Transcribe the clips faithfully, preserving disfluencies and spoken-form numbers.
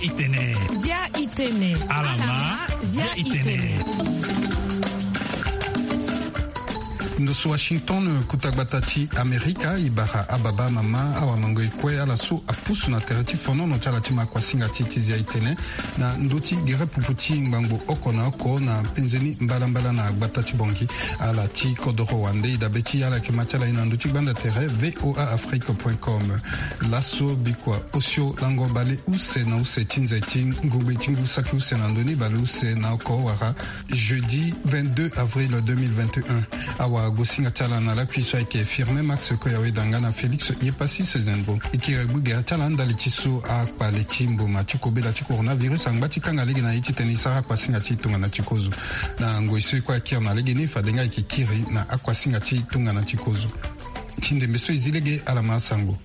Itene. Zia itene. Alama. Zia itene. Ndo so Washington, kota gbata ti Amerika, e bara ababa, amama, awamangoi kue, ala so apusu na tere ti fonono ti ala ti ma kuasinga ti e ti zia itene na ndö ti gere pupu ti ngbangbo oko na oko na penze ni mbalambala na gbata ti Bangui. Ala ti kodoro wande, e dabe ti ala yeke ma ti ala ye na ndö ti gbanda tere V O A Afrique point com. Laso bikua osio lango bale use na use ti nze ti ngongbe ti ngu saki use na ndö ni bale use na oko wala jeudi vingt-deux avril deux mille vingt et un. Awagosinga ti ala na lakui so ayeke Firmin Max Koyawe Danga na Félix Yepassis Zenbo. E kiri gbu gere ti ala ndali ti so akpale ti mboma ti kobela ti coronavirus angba ti kanga lege na ye titene e sara akuasinga ti e tongana ti kozo. Na ngoi so e kue akiri na legeni, fade nga e yeke kiri na akuasinga ti e tongana ti kozo. Ti ndembe so e zi lege, ala ma asango.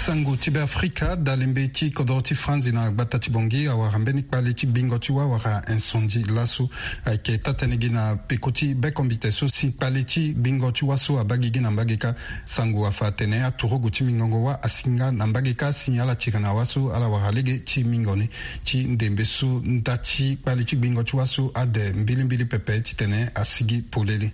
Sango ti Beafrika, dalembe ti kodoro ti Franzi na gbata ti Bangui awara mbeni kpale ti gbingo ti wâ wala incendie laso. Ayeke taa-tënë gi na peko ti bekombite so si kpale ti gbingo ti wâ so abaa gigi na mbage kâ. Sango afa atene aturugu ti mingongo wâ asi nga na mbage kâ si ala tiri na wâ so ala wara lege ti mingo ni. Ti ndembe so nda ti kpale ti gbingo ti wâ so ade mbilimbili pepe titene asigi polele.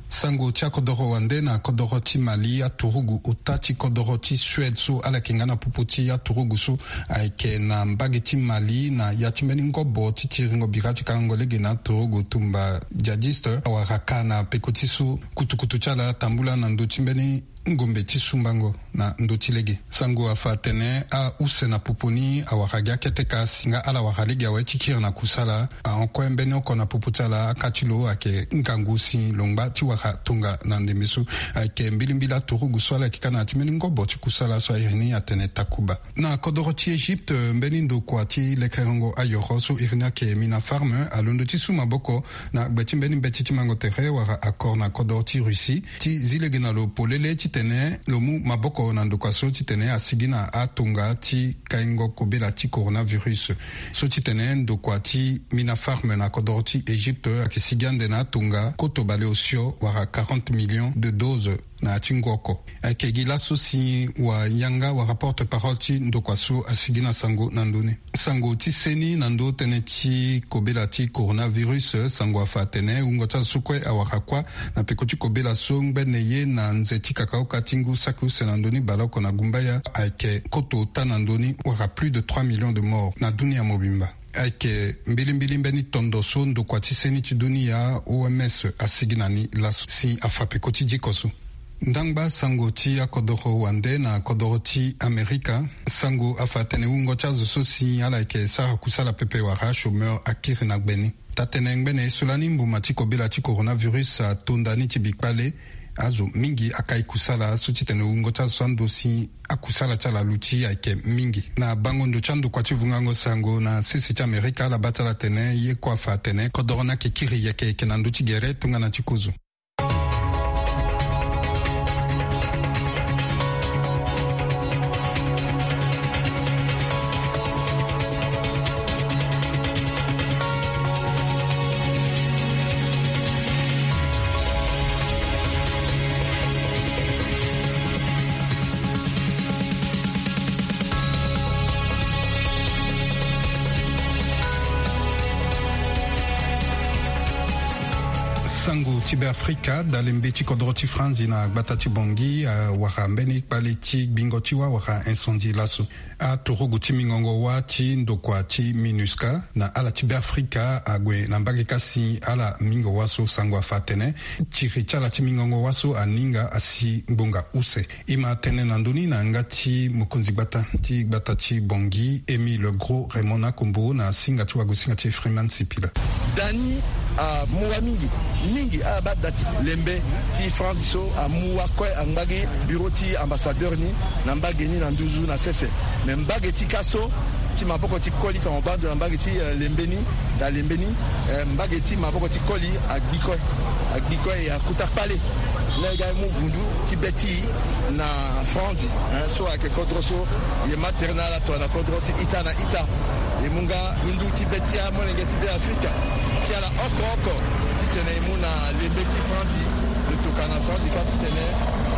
Sango ti akodoro wande na kodoro ti Mali, aturugu ota ti kodoro ti Suède so ala yeke nga na popo ti aturugu so ayeke na mbage ti Mali na ya ti mbeni ngobo ti tiringo bira ti kangango lege na aturugu tumba djihadiste awara kâ na peko ti so kutukutu ti ala atambula na ndö ti mbeni ngombe ti sumbango na ndö ti lege. Sango afa atene ause na popo ni awara gi akete kâ si nga ala wara lege awe ti kiri na kusala. Ahon kue mbeni oko na popo ti ala aka ti lo ayeke ngangu si lo ngba ti wara tonga na ndembe so. Ayeke mbilimbili aturugu so ala yeke ka na ya ti mbeni ngobo ti kusala so airi ni atene Takuba. Na kodoro ti Egypte, mbeni ndokua ti lekerengo ayoro so iri ni ayeke Mina Farm alondo ti su maboko na gbe ti mbeni mbeti ti mango tere wala accord na kodoro ti Russie ti zi lege na lo polele titene lo mu maboko na ndokua so titene asigi na atonga ti kaingo kobela ti coronavirus. So titene ndokua ti Mina Farm na kodoro ti Egypte ayeke sigi ande na atonga koto bale osio wala quarante millions de doses na ya ti ngu oko. Ayeke gi laso si wayanga wala porte-parole ti ndokua so asigi na sango na ndö ni. Sango ti seni na ndö tënë ti kobela ti coronavirus, sango afa atene wungo ti azo so kue awara kuâ na peko ti kobela so ngbene ye na nze ti kakaoka ti ngu saki use na ndö ni baleoko na gumbaya ayeke koto ota na ndö ni wala plus de trois millions de morts na dunia mobimba. Ayeke mbilimbili mbeni tondo so ndokua ti seni ti dunia, O M S, asigi na ni laso si afa peko ti diko so. Ndangba sango ti akodoro wande na kodoro ti Amerika. Sango afa atene wungo ti azo so si ala yeke sara kusala pepe wala chômeur akiri na gbe ni. Taa-tënë ngbene ye so lani mbuma ti kobela ti coronavirus atonda ni ti bi kpale, azo mingi akai kusala so titene wungo ti azo so ando si akusala ti ala aluti ayeke mingi. Na bango ndo ti andokua ti vungango sango na sese ti Amerika, ala baa ti ala atene ye kue afa atene kodoro ni ayeke kiri yeke yeke na ndö ti gere tongana ti kozo. Sango ti Beafrika, dalembe ti kodoro ti Franzi na gbata ti Bangui awara mbeni kpale ti gbingo ti wâ wala incendie laso. Aturugu ti mingongo wâ ti ndokua ti MINUSCA na ala ti Beafrika ague na mbage kâ si ala mingo wâ so. Sango afa atene tiri ti ala ti mingongo wâ so aninga asi ngbonga use. E ma tene na ndö ni na yanga ti mokonzi gbata ti gbata ti Bangui, Émile Gros Raymond Nakombo, na singa ti wagosinga ti Freeman Sipila. Dani amu wâ mingi, mingi ala baa da ti lembe ti France so amu wâ kue angba gi bureau ti ambassadeur ni na mbage ni na nduzu na sese. Me mbage ti kâ so ti maboko ti koli tongana baa ndo na mbage ti, eh, lembe ni, da lembe ni, eh, mbage ti maboko ti koli agbi kue, agbi kue e akota kpale. Lege amu vundu ti be ti e na Franzi, eh, so ayeke kodro so e ma tere na ala tongana kodro ti ita na ita. E mu nga vundu ti be ti amolenge ti Beafrika ti ala oko oko titene e mu na lembe ti Franzi, lo tokua na Franzi kâ titene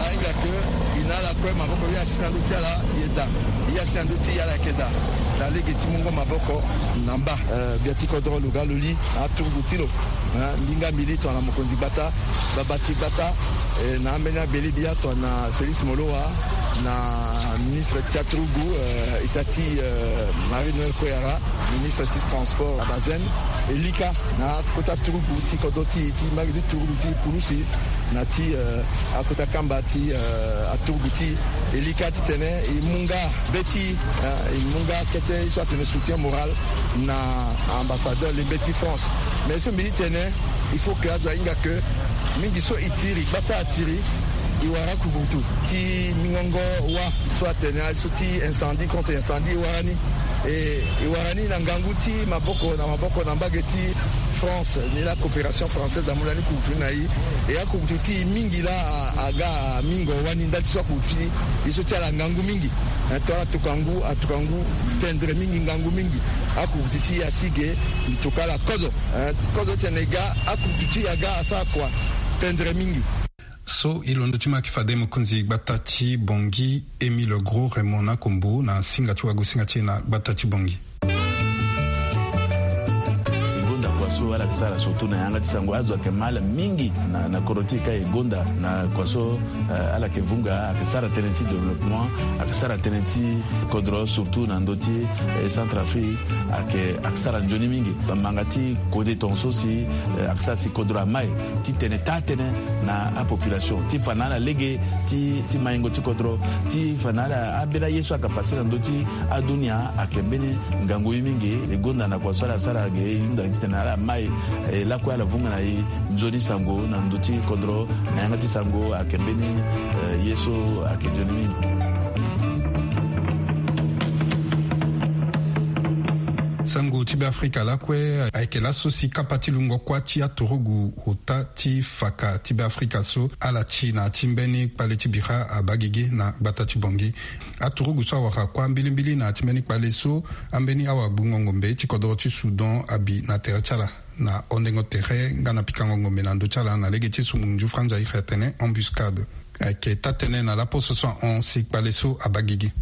ahinga ke e na ala Maboko ye asi na ndö ti ala ye daa. Ye asi na ndö ti ala yeke daa. Na lege ti mungo maboko na mba. Eh, gbia ti kodro lo ga lo li aturugu ti lo. Eh, mbinga mbili tongana mokonzi gbata, baba ti gbata, eh, na ambeni abele bia tongana Félix Molowa, na ministre ti aturugu, eh, ita ti, eh, Marie Noël Koyara, ministre ti transport Abazen, e lika na akota turugu ti kodro ti, ti mbage ti turugu ti pulusi, na ti, eh, akota kamba ti, eh, aturugu ti e lika titene e mu nga be ti, eh, e mu nga kete ye so atene soutien moral na ambassadeur lembe ti France. Mais so mbi ti tene, il faut que azo ahinga que mingi so e tiri, gbata atiri, e wara kukutu ti mingongo wa so atene aye so ti incendie contre incendie e wara ni. E, e wara ni na ngangu ti maboko na maboko na mbage ti France, ni la coopération française amu lani kukutu ni na e. E akukutu ti e mingi laa a, aga mingo wani ndali ti so akukutu ti e so ti ala ngangu mingi. Eh, to ala tuka ngu, atuka ngu tendre mingi, ngangu mingi. Akukutu ti e asi ge, mbi tuka ala kozo. Eh, kozo tene e ga, akukutu ti e aga asara kua tendre mingi. So e londo ti ma ayeke fade mokonzi gbata ti Bangui, Émile Gros Raymond Nakombo, na singa ti wagosinga ti e na gbata ti Bangui. E gonda kua so ala yeke sara surtout na yanga ti sango, azo ayeke ma ala mingi na, na kodro ti e ka e gonda na kua so, eh, ala yeke vunga, ayeke sara tënë ti développement, ayeke sara tënë ti kodro surtout na ndö ti, eh, Centrafrique, ayeke, ayeke sara nzoni mingi. Bamanga ti kode tongaso si, eh, ayeke sara si kodro amai titene taa tënë na apopulation ti fa na ala lege ti, ti maingo ti kodro, ti fa na ala ambeni aye so ayeke pase na ndö ti adunia ayeke mbeni ngangu ye mingi. E gonda na kua so ala sara ge, e hunda titene ala mai, eh, lakue ala vunga na e nzoni sango na ndö ti kodro, na yanga ti sango ayeke mbeni, eh, ye so ayeke nzoni mingi. Sango ti Beafrika lakue ayeke laso si kapa ti lungo kuâ ti aturugu ota ti faka ti Beafrika so ala ti na ya ti mbeni kpale ti bira abaa gigi na gbata ti Bangui. Aturugu so awara kuâ mbilimbili na ya ti mbeni kpale so, ambeni awagbungo ngombe ti kodro ti Soudan abi na tere ti ala na hondengo tere nga na pikango ngombe na ndö ti ala na lege ti sumungu nzufra nzai atene embuscade. Ayeke taa-tënë na laposo so ahon si kpale so abaa gigi.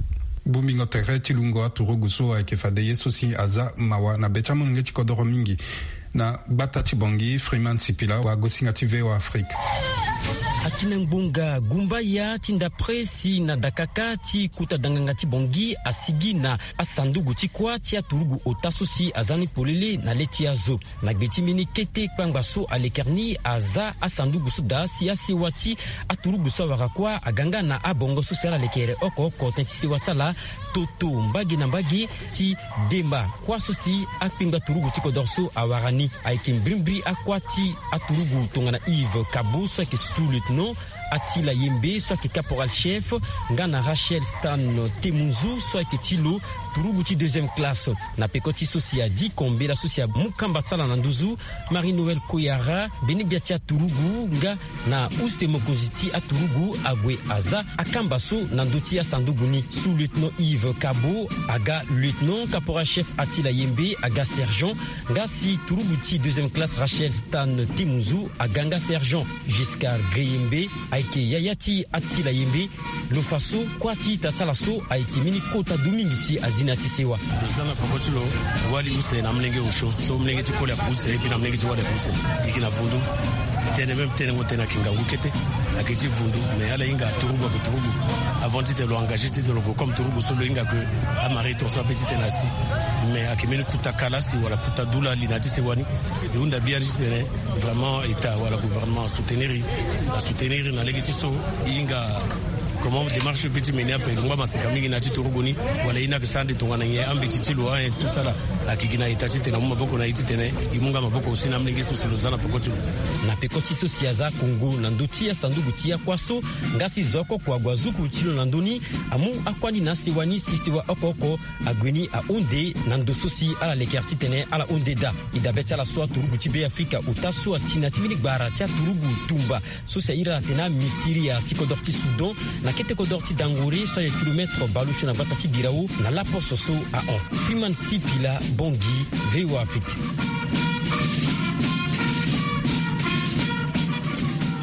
Bongbingo tere ti lungo aturugu so ayeke fade ye so si aza mawa na be ti amolenge ti kodoro mingi. Na gbata ti Bangui, Freeman Sipila, wagosinga ti V O A Afrique. Akina ngbonga gumbaya ti ndapre si na dakaka ti kota danganga ti Bangui asigi na asanduku ti kuâ ti aturugu ota so si aza ni polele na le ti azo. Na gbe ti mbeni kete kpangba so alekere ni aza asanduku so daa si asewa ti aturugu so awara kuâ aga nga na abongo so si ala lekere oko oko tënë ti sewa ti ala toto mbage na mbage ti demba kuâ so si akpengba turugu ti kodoro so awara ni. Ayeke mbirimbiri akuâ ti aturugu tongana Yves Kabo so ayeke sous-lieutenant, Attila Yembe so ayeke caporal chef, nga na Rachel Stan Temunzu so ayeke ti lo turugu ti deuxième classe. Na peko ti so si adi ko mbela so si amu kamba ti ala na nduzu, Marie Noël Koyara, mbeni gbia ti aturugu nga na use mokonzi ti aturugu ague aza akamba so na ndö ti asanduku ni. Sous-lieutenant Yves Kabo aga lieutenant, caporal chef Attila Yembe aga sergent, nga si turugu ti deuxième classe Rachel Stan Temunzu aga nga sergent. Giscard Greyembe ayeke yaya ti Attila Yembe. Lo fa so kuâ ti ita ti ala so ayeke mbeni kota du mingi si azi na ya ti sewa. Lo za na peko ti lo wali use na amolenge osio so amolenge ti koli ayeke use, et puis na amolenge ti wali ayeke use. E yeke na vundu. Tënë même tënë ngo tënë ayeke ngangu kete. Ayeke ti vundu, mais ala hinga aturugu ayeke turugu. Avant titene lo engagé titene lo gue comme turugu so lo hinga que amari tongaso ape titene asi. Mais ayeke mbeni kota kala si wala kota du lali na ya ti sewa ni. E hunda bien titene vraiment État wala gouvernement asoutenir e, asoutenir e na lege ti so e hinga comment démarche so e peut ti mener ape, lo ngba maseka mingi na ya ti turugu ni. Wala e ni ayeke sara ande tongana nyen, ambeti ti lo, hein, tout ça là. Ayeke gi na État titene amu maboko na e titene e mu nga maboko aussi na amolenge so si lo za na peko ti lo. Na peko ti so si aza kongo na ndö ti asanduku ti akuâ so, nga si zo oko oko ague azuku ti lo na ndö ni, amu akuâ ni na asewa ni si sewa oko oko ague ni ahunde na ndo so si ala lekere titene ala hunde daa. E dabe ti ala so aturugu ti Beafrika ota so ati na ya ti mbeni gbara ti aturugu tumba so si airi ala atene amisiria ti kodoro ti Soudan, na kete kodoro ti Dangore so ayeke kilomètre baleusio na gbata ti Birao, na laposo so ahon. Freeman Sipila, Bangui, V O A Afrique.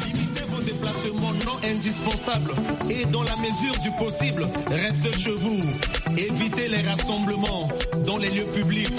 Limitez vos déplacements, non Indispensable et dans la mesure du possible, restez chez vous. Évitez les rassemblements dans les lieux publics.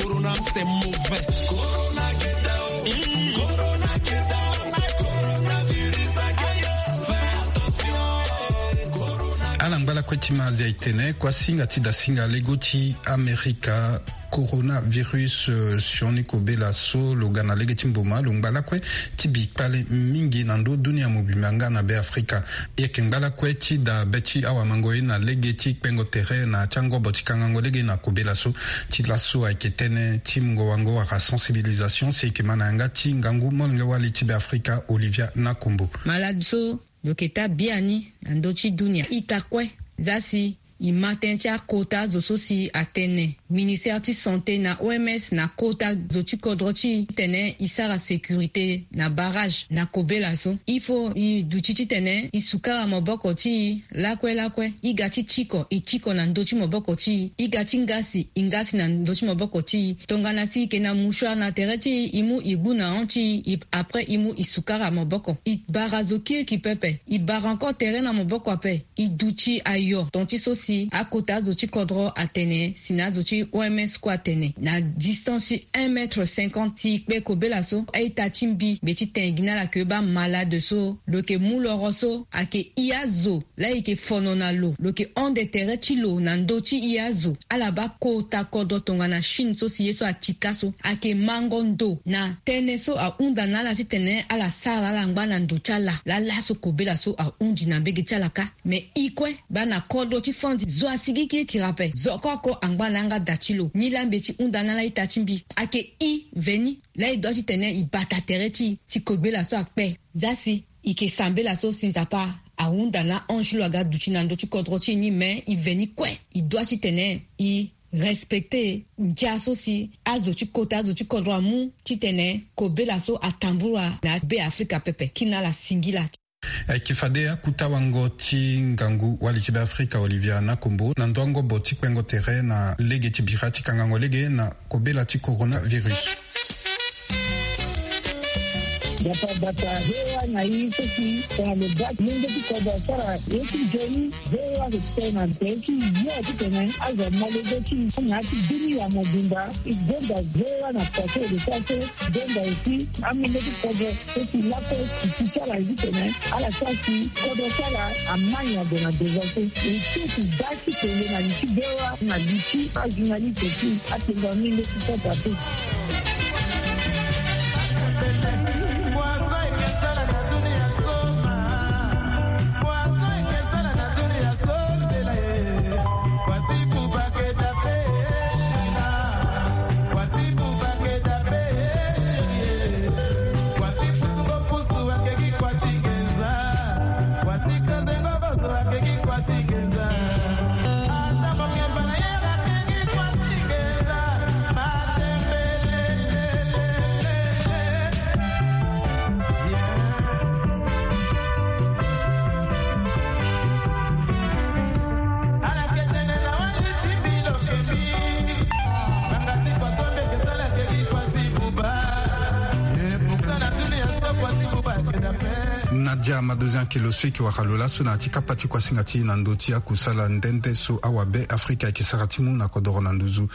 Corona, c'est mauvais. Corona, get down. Corona, get down. Coronavirus, aïe, fais attention. Corona. Ala ngba lakue ti ma azia e tene kuasinga ti dasinga lego ti Amerika. Coronavirus, eh, sioni kobela so lo ga na lege ti mboma lo ngba lakue ti bi kpale mingi na ndö dunia mobimba nga na Be Afrika. E yeke ngba lakue ti da be ti awamango ye na lege ti kpengo tere na ti angobo ti kangango lege na kobela so. Ti laso ayeke tënë ti mungo wango wala sensibilisation si e yeke ma na yanga ti ngangu molenge wali ti Be Afrika Olivia Nakombo. Malade so lo yeke taa biani na ndö ti dunia ita kue. Za si e ma tënë ti akota zo so si atene ministère ti santé na O M S na kota zo ti kodro ti e titene e sara sécurité na barrage na kobela so. Il faut e duti titene e sukara maboko ti e lakue lakue. E ga ti tiko, e tiko na ndö ti maboko ti e. E ga ti ngasi, e ngasi na ndö ti maboko ti e. Tongana si e yeke na mouchoir na tere ti e, e mu e gbu na hon ti e, e, après e mu e sukara maboko. E bara zo kiriki pepe. E bara encore tere na maboko ape. E duti ayo ton ti so si akota azo ti kodro atene si na azo ti O M S kue atene na distance ti un mètre cinquante ti kpe kobela so. A-ita ti mbi mbi ti tene gi na ala ke baa malade so lo yeke mu loro so ayeke i azo laa e yeke fono na lo, lo yeke hon de tere ti lo na ndö ti i azo. Ala baa kota kodro tongana Chine so si ye so atika so ayeke mango ndo na tënë so ahunda na ala titene ala sara ala ngba na ndo ti ala. Laa laso kobela so ahundi na mbege ti ala kâ. Me e kue baa na kodro ti Fandi zo asigi kirikiri ape. Zo oko oko angba na yanga da ti lo. Nilaa mbi ye ti hunda na ala ita ti mbi ayeke i veni laa e doit titene e bata tere ti e si kobela so akpe. Za si e yeke sambela so si Nzapa ahunda na ange ti lo aga duti na ndö ti kodro ti e ni, me e veni kue e doit titene e respecter ndia so si azo ti kota azo ti kodro amu titene kobela so atambula na Be Afrika pepe. Kina ala singila. Ayeke fade akuta wango ti ngangu wali ti Be Afrika Olivia Nakombo na ndo angobo ti kpengo tere na lege ti bira ti kangango lege na kobela ti coronavirus. Bata bata V O A na i so si tongana lo baa ti lenge ti kodro asara ye ti nzoni. V O A ayeke tene na tere ti yo titene azo amolenge ti i na ya ti dunia mobimba. E gonda V O A na poto e lo sara so e gonda aussi amolenge ti kodro so si lakue e ti ti ala titene ala sara si kodro ti ala ama nyango na devant so. E ti e ti baa ti tene na li ti V O A na li ti ajournaliste ti atengo amolenge ti kodro ape. Nadia Madozin ayeke lo so e yeke wara lo laso na ya ti kapa ti kuasinga ti e na ndö ti akusala nde nde so awabe Afrika ayeke sara ti mu na kodoro na nduzu.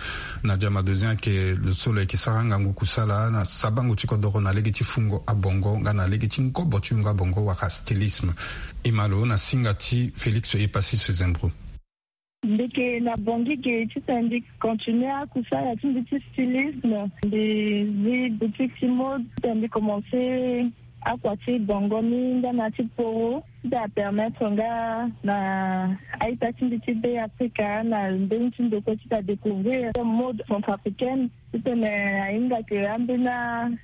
Nadia Madozin ayeke lo so lo yeke sara ngangu kusala na sabango ti kodoro na lege ti fungo abongo nga na lege ti ngobo ti yungo abongo wala stylisme. E ma lo na singa ti Félix Epasis Zembro. Mbi yeke na Bangui ge titene mbi continue akusala ti mbi ti stylisme. Mbi zi boutique ti mode titene mbi commence akua ti bongo ni nga na ti poro ti da permettre nga na a-ita ti mbi ti Be Afrika na mbeni ti ndo kue ti da découvrir mode centrafricaine. Titene ahinga ke ambeni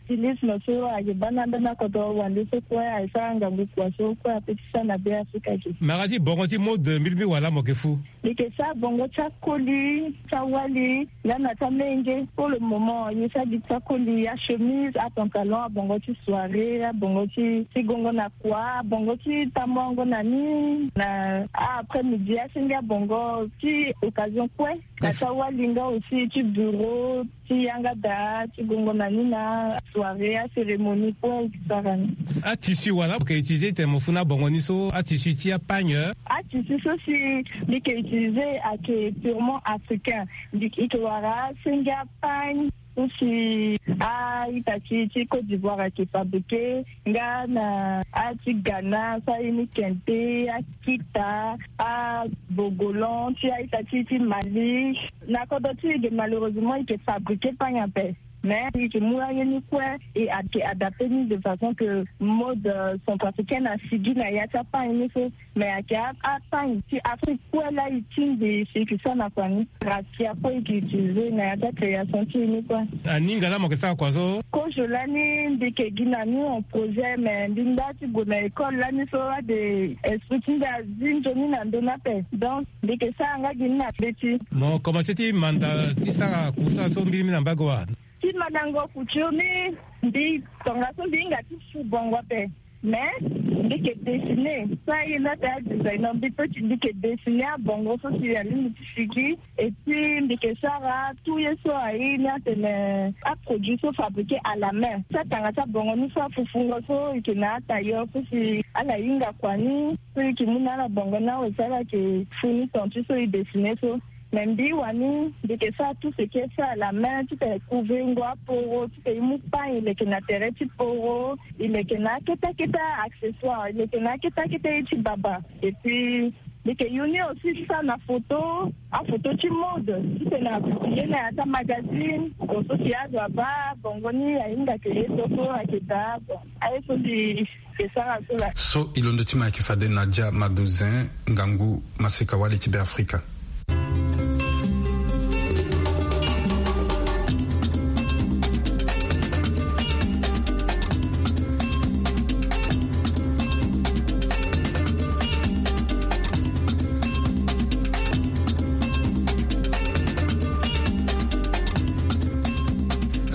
stylisme so ayeke baa na ambeni akodro wande so kue ayeke sara ngangu kua so kue ape ti sara na Be Afrika ge. Mara ti bongo ti mode mbi lingbi wala mo yeke fu. Mbi yeke sara bongo ti akoli, ti awali nga na ti amenge. Pour le moment mbi sara gi ti akoli, achemise, apantalon, abongo ti soirée, abongo ti, ti gongo na kua, abongo ti ta Mongo na ni na après-midi asenge abongo ti occasion kue. Na ti awali nga aussi ti bureau ti yanga daa ti gongo na ni na soirée acérémonie kue e ke sara ni. Atissu wala mo ke utiliser tene mo fu na bongo ni so, atissu ti apagne? Atissu so si mbi ke utiliser ayeke purement africain. Mbi ke wara asenge apagne so si a-ita ti ti Côte d'Ivoire ayeke fabriquer. Nga na a ti Ghana so aye ni kente, akita, abogolan ti a-ita ti ti Mali. Na kodro ti e ge malheureusement e ke fabriquer pagne ape. Mais e ke mu aye ni kue e ayeke adapter ni de façon que mode centrafricaine asigi na ya ti apagne ni so. Mais ayeke apagne ti Afrique kue laa e tingbi si e ke sara na kua ni. Rakia kue e ke utiliser na ya ti acréation ti e ni kue. Aninga laa mo ke sara kua so? Kozo lani mbi ke gi na ni en projet, mais mbi nda ti gue na école lani so ade esprit ti nda azi nzoni na ndoni ape. Donc mbi ke sara nga gi ni na mbeti. Mo commencer ti manda ti sara kusala so mbirimbiri na mbage wa? Ti mandango couture ni, mbi tongaso mbi hinga ti su bongo ape. Mais mbi ke dessiner so aye nda ti adesigner, mbi pe ti mbi ke dessiner abongo so si alingbi ti sigi. Et puis mbi ke sara tout ye so aye ni atene aproduit so fabriquer à la main. Ti atanga ti abongo ni so afufungo so e ke na atailleur so si ala hinga kua ni so e ke mu na ala bongo ni awe si ala ke fu ni ton ti so e dessiner so. Mais mbi wani mbi ke sara tout ce qui est fait à la main, ti tene couver ngo aporo, ti tene e mu pagne e leke na tere ti poro, e leke na akete akete accessoire, e leke na akete akete ye ti baba. Et puis mbi ke yu ni aussi ti sara na photo, aphoto ti mode, ti tene a publier na ya ti amagazine. Bon, so si azo abaa bongo ni ahinga ke ye so so ayeke daa. Bon, aye so mbi ke sara so laa. So e londo ti ma ayeke fade Nadia Madozin, ngangu maseka-wali ti Beafrika.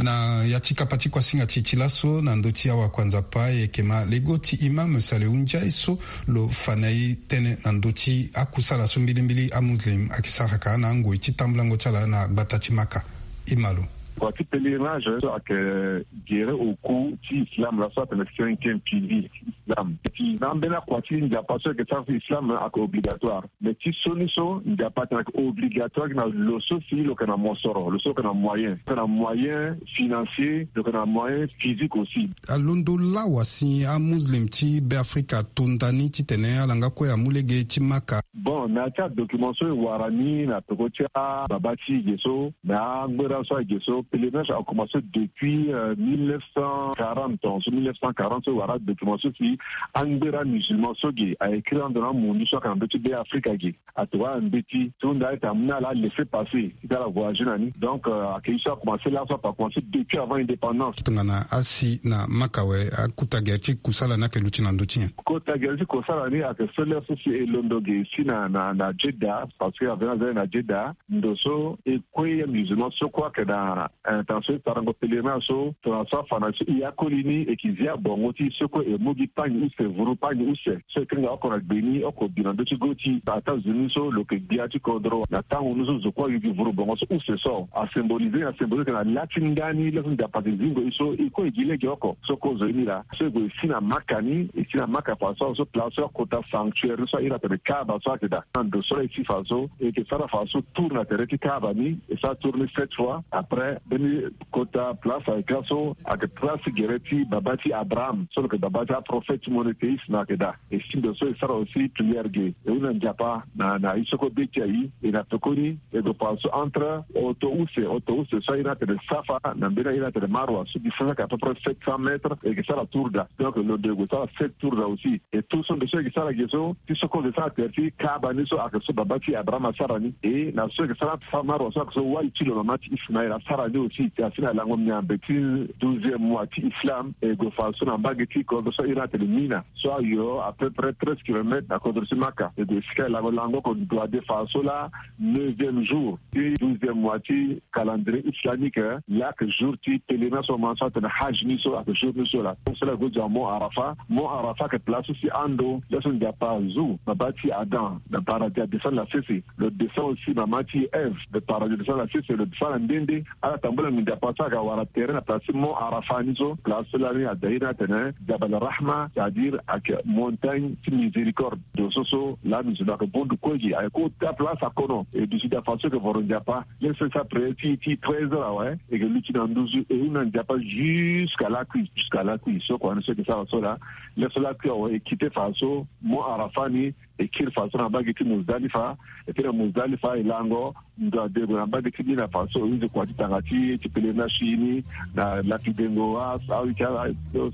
Na ya ti kapa ti kuasinga ti e ti laso na ndö ti awakuanzapa, e yeke ma lego ti Imam Salehu Ndiaye so lo fa na e tënë na ndö ti akusala so mbilimbili amuslim ayeke sara ka na angoi ti tambulango ti ala na gbata ti Maka. E ma lo. Kua ti pèlerinage so ayeke gere oku ti islam laa so atene cinquième pilier ti islam. Ti na ambeni akua ti Nzapa so ayeke sara so islam ayeke obligatoire. Mais ti sioni so Nzapa atene ayeke obligatoire gi na lo so si lo yeke na mosoro, lo so lo yeke na moyen, lo yeke na moyen financier, lo yeke na moyen physique aussi. Alondo lawa si amuslim ti Beafrika ato nda ni titene ala nga kue amu lege ti Maka. Bon, na ya ti adocument so e wara ni na peko ti ababa ti e ge so, na angbera so ayeke ge so, pèlerinage a commencé depuis euh, mille neuf cent quarante, en mille neuf cent quarante so e wara adocument so si angbera musulman so ge a écrire ando na amundu so ayeke na ndö ti Beafrika ge. Atokua na mbeti ti hunda ayeke amu na ala laisser passer ti ala voyager na ni. Donc euh, ayeke ye so a commencé laso, ape a commencé depuis avant indépendance. Tongana asi na Maka awe, akota gere ti kusala ni ayeke luti na ndö ti nyen? Kota gere ti kusala ni ayeke so lere so si e londo ge si na na na Jeddah, parce que avenir aza na Jeddah. Ndo so e kue amusulman so kue ayeke na intention ti sarango pèlerinage so, tongana so afa na so e akoli ni, e ke zi abongo ti e so kue e mu gi pagne use, vuru pagne use so e kanga oko na gbe ni, oko bi na ndö ti go ti États-Unis so lo yeke gbia ti kodro. Na tango ni so zo kue ayu gi vuru bongo so use so, a symboliser, a symboliser na la ti ndani laa so Nzapa ayeke zingo e so e kue e gi lege oko. So kozo ye ni laa so e gue e si na Maka ni, e si na Maka fa so, so place so akota sanctuaire ni so a iri atene Kaaba so ayeke daa. Na ndo so laa e si fa so, e yeke sara fa so tour na tere ti Kaaba ni, e sara tour ni sept fois. Après mbeni kota place ayeke laso ayeke place gere ti baba ti Abraham so lo yeke baba ti aprophète monothéiste ni ayeke daa. E si ndo so e sara aussi prière ge, e hunda Nzapa na na ye so kue be ti aye. E na pekoni e gue fa so entre oto use, oto use so a iri atene Safa na mbeni a iri atene Marwa so distance ayeke à peu près sept cents mètres, e yeke sara tour daa. Donc lo ndo e gue sara sept tour daa aussi. Et tout so ndo so e yeke sara ge so, ti so kue e yeke sara tere ti Kaaba ni so ayeke so baba ti Abraham asara ni. Et na so e yeke sara Safa Marwa so ayeke so wali ti lo mama ti Ismaël asara ni. Nde aussi asi na lango miambe ti douzième mois ti islam e gue fa so na mbage ti kodro so ahiri atene Mina so ayo à peu près treize kilomètres na kodro ti Maka. E gue esika e lango lango oko ndo ade fa so laa neuvième jour ti douzième mois ti calendrier islamique, laa ayeke jour ti pèlerinage so aman so atene Hajj ni so ayeke jour ni so laa. So laa e gue zo na mont Arafa. Mont Arafa ayeke place so si ando laso Nzapa azu mama ti Adam na paradis adescend na sese. Lo descend aussi mama ti Ève na paradis adescend na sese, lo descend na nde nde. Ala tambula nginza pasa aga wara tere na place ti mont Arafa ni so, place so lani ada iri atene Jabal Rahma, c'est-à-dire ayeke montagne ti miséricorde. Ndo so so lani zo na ayeke bondu kue gi ayeke kota place akono e duti da fa so ayeke voro Nzapa. Laisse sa prière ti ti treize heures awe, e yeke luti na nduzu e hunda Nzapa jusqu'à lakui, jusqu'à lakui. So kua ni so ayeke sara so laa, laisse lakui awe e kite fa so mont Arafa ni, e kiri fa so na mbage ti Muzdalifa. E kiri na Muzdalifa e lango ndo ade gue na mbage ti Mina fa so e use kua ti tanga ti ti pèlerinage ti e ni na lapidengo a awe ti ala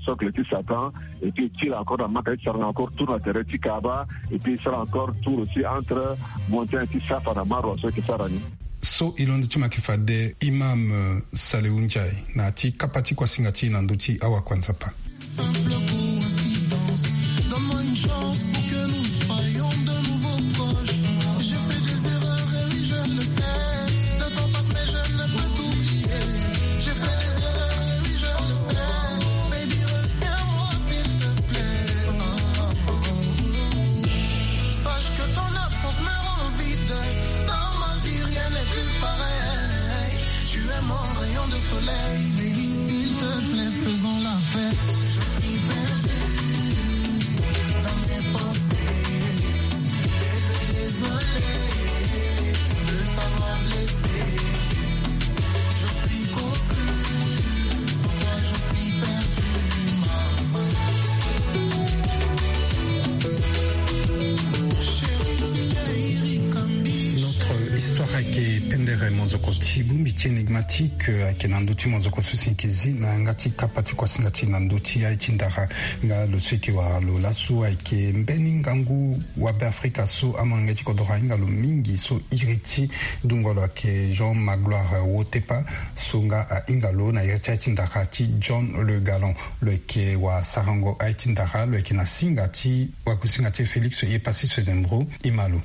socle ti Satan. Et puis e kiri encore na Maka ti sara encore tour na tere ti Kaaba. Et puis e sara encore tour aussi entre montagne ti Safa na Marwa so e yeke sara ni. So e londo ti ma yeke fade Imam, euh, Salewu Ndiaye na ya ti kapa ti kuasinga ti e na ndö ti awakua Nzapa. Simple coïncidence. Donne-moi une chance pour que nous soyons de nouveau proches. J'ai fait des erreurs et oui, je le sais. Le temps passe, mais je ne peux t'oublier. J'ai fait des erreurs et oui, je le sais. Baby, reviens-moi, s'il te plaît. Sache que ton absence me rend vide. Dans ma vie, rien n'est plus pareil. Tu es mon rayon de soleil, baby, s'il te plaît, faisons la paix. Je suis perdu dans mes pensées. Bébé, désolé de t'avoir blessé. Je suis confus, sans toi, je suis perdu, maman. Notre histoire ayeke pendere mozoko ti bongbi ti énigmatique, euh, ayeke na ndö ti mozoko so si yeke zi na yanga ti kapa ti kuasinga ti e na ndö ti aye ti ndara. Nga lo so yeke wara lo laso ayeke mbeni ngangu wabe Afrika so amolenge ti kodro ahinga lo mingi so iri ti dungua lo ayeke Jean Magloire Wotepa, so nga ahinga lo na iri ti aye ti ndara ti John Le Gallon. Lo yeke wasarango aye ti ndara, lo yeke na singa ti wakusinga ti e Félix Yepasi Swezembro. E ma lo.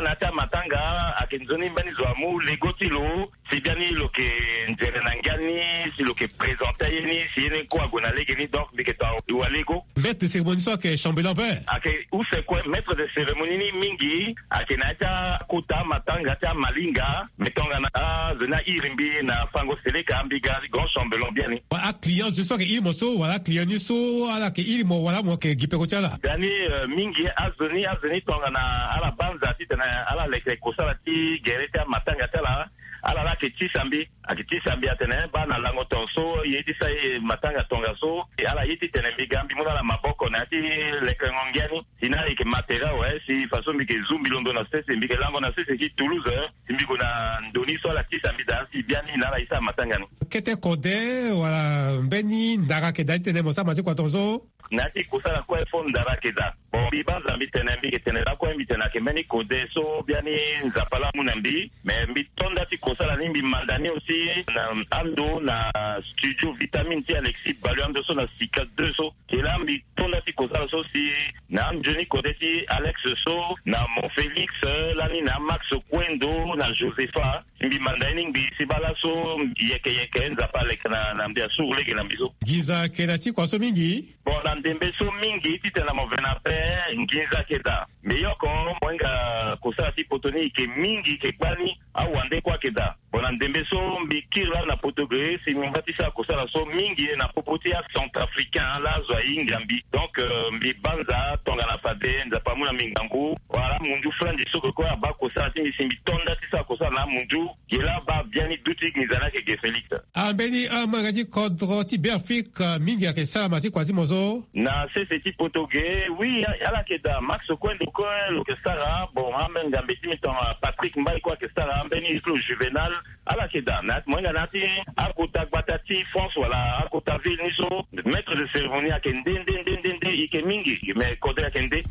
Na ya ti amatanga ayeke nzoni mbeni zo amu lego ti lo, si biani lo yeke nzere na ngia ni, si lo yeke présenter aye ni, si ye ni kue ague na lege ni, donc mbi yeke tonga walego. Maître de cérémonie so ayeke chambellan pe. Ayeke use kue, maître de cérémonie ni mingi ayeke na ya ti akota matanga ti amalinga. Mbi tongana azo ni airi mbi na fango seleka, mbi ga grand chambellan biani. Wala aclient zo so ayeke iri mo so, wala aclient ni so ala yeke iri mo, wala mo yeke gi peko ti ala? Biani, euh, mingi azo ni, azo ni tongana ala banza titene ala leke kosala ti gere ti amatanga ti ala, ala la ayeke tisa mbi. Ayeke tisa mbi atene baa na lango tongaso ye ti sa ye matanga tongaso, ala ye titene mbi ga mbi mu na ala maboko na ya ti lekengo ngia ni. Si na ala yeke matera awe, si faso mbi yeke zu mbi londo na sese, mbi yeke lango na sese ti Toulouse, si mbi gue na ndo ni so ala tisa mbi daa, si biani na ala ye sara matanga ni. Kete kode wala mbeni ndara ayeke daa titene mo sara ma ti kua tongaso? Na ya ti kosala kue fo ndara ayeke daa. Bon, mbi banza mbi tene, mbi yeke tene lakue, mbi tene ayeke mbeni kode so biani Nzapa laa amu na mbi. Mais mbi to nda ti kosala ni, mbi manda ni aussi na ando na studio Vitamine ti Alexis Balu, ando so na Sika deux so. Ke laa mbi to nda ti kosala so si na anzoni kode ti Alex so, na Mon Félix, lani na Max Kuendo, na Josepha. Mbi manda ye ni ngbii si baa laso yeke yeke Nzapa aleke na, na mbi asuru lege na mbi so. Nginza ayeke na ti kua so mingi? Bon, na ndembe so mingi titene mo ve na ape, nginza ayeke daa. Mbi yoko mo hinga kosala ti poto ni yeke mingi, yeke gbani, awande kue ayeke daa. Bon, na ndembe so mbi kiri laa na poto ge si mbi ngba ti sara kosala so mingi na popo ti acentrafricain laa azo ahinga mbi. Donc, euh, mbi banza tongana fade Nzapa amu na mbi ngangu. Wala amunzu flanzi so kue abaa kosala ti mbi si mbi to nda ti sara kosala na amunzu. Ge laa abaa biani duti nginza ni ayeke ge Félix. Ambeni amolenge ti kodro ti Beafrika mingi ayeke sara ma ti kua ti mo so? Na sese ti poto ge, oui, ala yeke daa. Max Kuendo kue lo yeke sara. Bon, amolenge ti mbi tongana Patrick Mbaye kue ayeke sara, ambeni ti lo Juvenal. Ala yeke daa. Na mo hinga na ya ti akota gbata ti France wala akota ville ni so, maître de cérémonie ayeke nde, nde, nde, nde, nde, e yeke mingi, mais kode ayeke nde.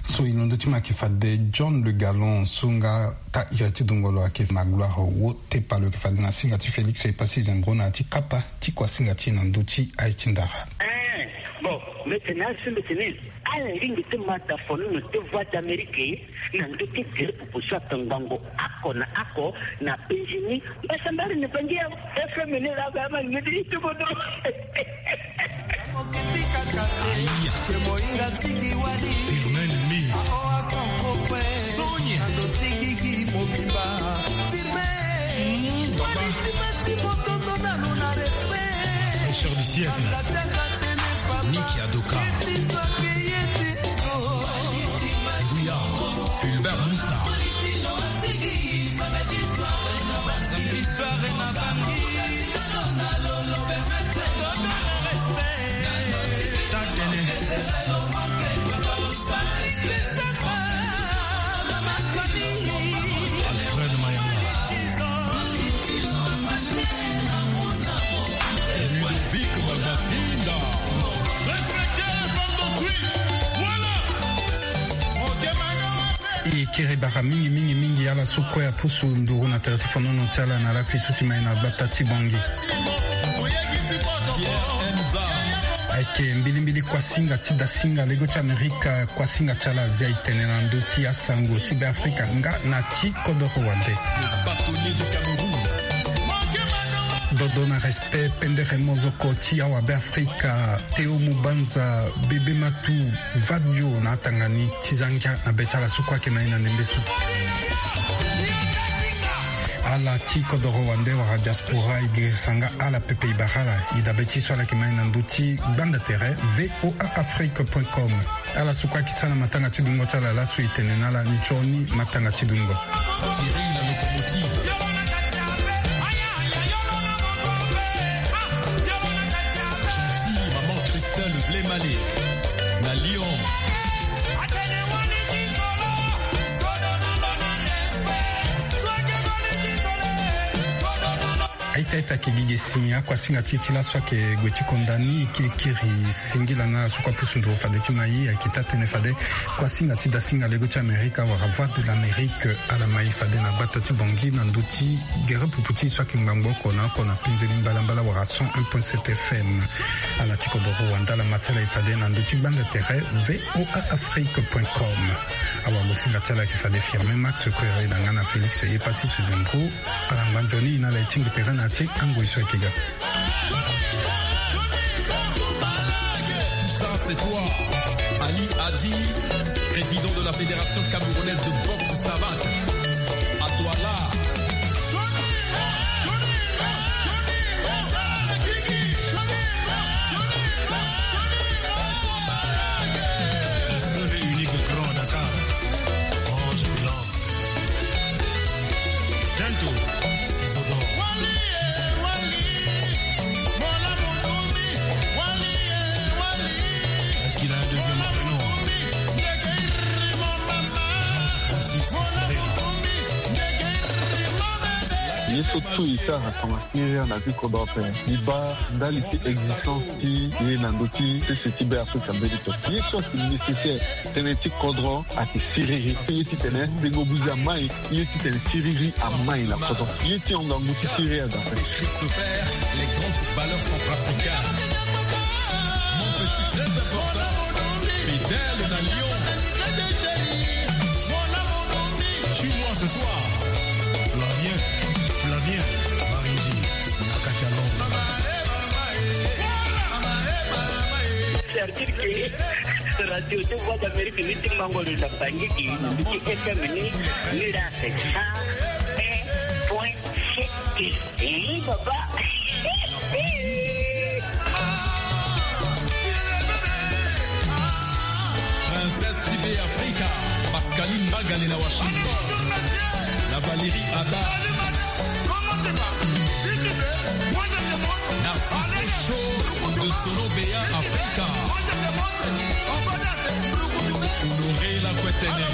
So e londo ti ma ayeke fade John Le Gallon so nga ta iri ti dungolo ayeke ma gloire wo tepa lo yeke fade na singa ti Félix Epassi Zembro na ya ti kapa ti kuasinga ti e na ndö ti aye ti ndara. Eh, bon, mbi tene asi mbi tene ala lingbi ti ma da fonono ti Voix d'Amérique na ndö ti gere pupu so atongbango oko na oko na Benjini. Mbasambari ni bangi ya F M ni la ba ma ngedi ti bodo. Firmin Lemay. Sonia. Papa. Richard Siècle. Niki Adoka. Bouya. Fulbert Moussa. Alfred Mayanga. Ludovic Babafinda. Respectez les femmes d'autrui. Voilà. E kiri bara mingi mingi mingi ala so kue apusu nduru na tere ti fonono ti ala na lakui so ti mai na gbata ti Bangui. Ayeke mbilimbili kuasinga ti dasinga lego ti Amerika, kuasinga ti ala azia e tene na ndö ti asango ti Beafrika nga na ti kodoro wande. Dodo na respect pendere mozoko ti awa Beafrika, Théo Mubanza, Bébé Matou, Vadio na atanga ni ti za ngia na be ti ala so kue ayeke na e na ndembe so. Ala ti kodoro wande wala diaspora e girisa nga ala pepe e bara ala. E dabe ti so ala yeke ma e na ndö ti gbanda tere V O A Afrique point com. Ala so kue ayeke sara na matanga ti dungo ti ala laso e tene na ala nzoni matanga ti dungo. Thierry la locomotive. Gentil, maman Christelle Vlemale. Na Lyon. Aita aita ayeke gi ge si akuasinga ti e ti laso ayeke gue ti konda ni. E kiri singila na ala so kue apusu nduru fade ti ma e, ayeke taa-tënë fade kuasinga ti dasinga lego ti Amerika wala Voix de l'Amérique ala ma e fade na gbata ti Bangui na ndö ti gere pupu ti e so ayeke ngbangbo oko na oko na penzeni mbalambala wala cent un point sept F M. Ala ti kodoro wande ala ma ti ala e fade na ndö ti gbanda tere V O A Afrique point com. Awagosinga ti ala ayeke fade Firmin Max Koere na nga na Félix Epassi Sezembro. Ala ngba nzoni na ala e tingbi tere na ya ti angoi so ayeke ga. Tout ça, c'est toi. Ali Hadi, président de la Fédération camerounaise de boxe savate. À toi là. Le seul et unique grand à Dakar. Ange Blanc. Gento, Ciseaux d'or. Est-ce qu'il a un deuxième prénom ? Jean-Francis Ferreira. Ye so tout e sara tongaso. Nigeria na ti kodro ape. E baa ndali ti existence ti e na ndö ti sese ti Beafrika mbeni to. Ye so ayeke nécessaire, tënë ti kodro ayeke siriri. Ye titene tengo buze amai, ye titene siriri amai na kodro. Ye ti hon ngangu ti siriri aza ape. Christopher, les grands footballeurs centrafricains. Mon petit, très important. Fidèle na Lyon. Suis-moi ce soir. Flavien, Flavien Maringi, na kati ya Londres. C'est-à-dire que radio de Voix d'Amérique ni ti mango lo na Bangui, ni ti F M ni, ni la c'est cent un point sept. Eh, papa. Princesse T V Africa, Pascaline Bagale na Washington, na Valérie Ada, na Show de Solo Bea Africa. Honoré la Kwetene.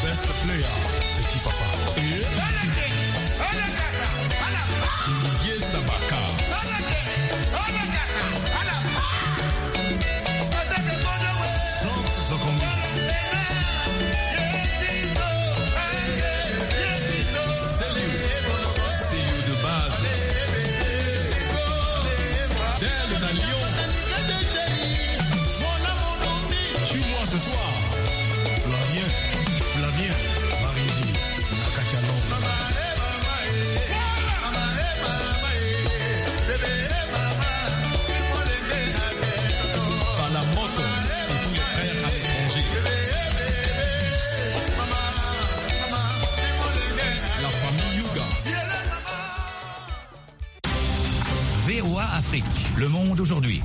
Best player, petit papa. Didier Sabaka. Le Monde aujourd'hui.